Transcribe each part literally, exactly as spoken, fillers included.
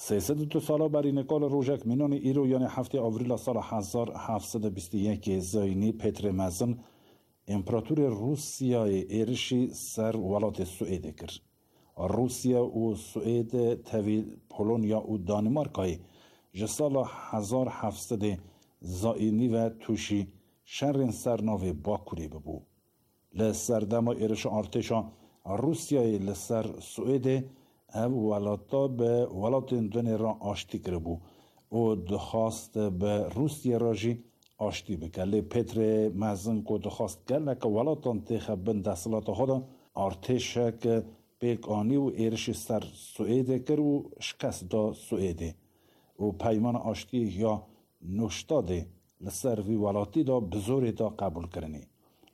Sê sed û du sala berî nika li rojek mînanê îro, yanê heftê Avrîla sala hezar heft sed û bîst û yekê zayînî, Pêtrê Mezin, împeratorê Rûsyayê êrişî ser welatê Swêdê kir. Rûsya û Swêd tevî Polonya û Danîmarkayê ji sala hezar heft sedê zayînî ve tûşî şerên ser navê Bakurê bibû. Li serdema êrişa artêşa Rûsyayê li ser Swêdê, ev welata bi welatên dunê re aştî kiribû û dixwast bi Rûsyê re jî aştî bike. Lê Pêtrê Mezin ku dixwast geleke welatan têxe bin desthilata xwe de, artêşek pêk anî û êrişî ser Swêdê kir û şikest da Swêdê û peymana aştiyê ya Nûştadê li ser vî welatî de bi zorê da qebûlkirinê.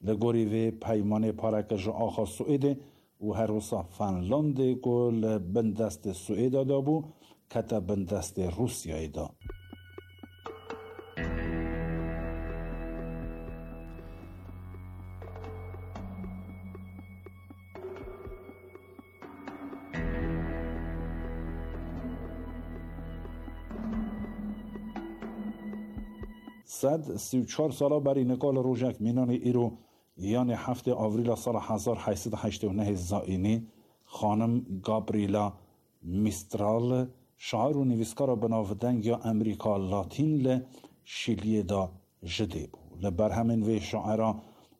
Li gorî vê peymanê pareke ji axa Swêdê û her wisa Fenlandê ku li bin destê Swêda de bû, kete bin destê Rûsyayê de. Sed sî û çar sala berî nika li rojek mînanê îro, yanê heftê Avrîla sala hezar heyt sed û heştê û nehê zayînî, xanim Gabriela Mistral, şair û nivîskara binavdeng ya Emerîka Latîn, li Şîliyê de ji dê bû. Li berhemên vê şaira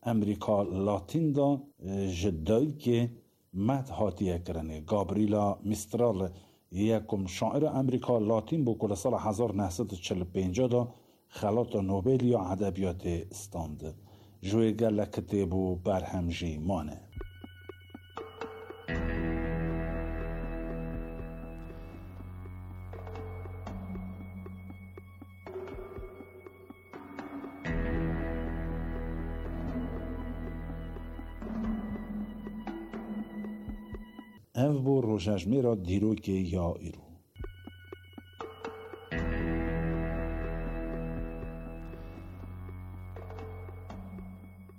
Emerîka Latîn de, e, ji dayikê Med hatiye kirinê. Gabriela Mistral yekum şaira Emerîka Latîn bû ku li sala hezar neh sed û çil û pênc de xelata Nobel ya edebiyatê stand. Ji wê gelek kitêb û berhem jî mane. Ev bû rojejmêra dîrokê ya îro.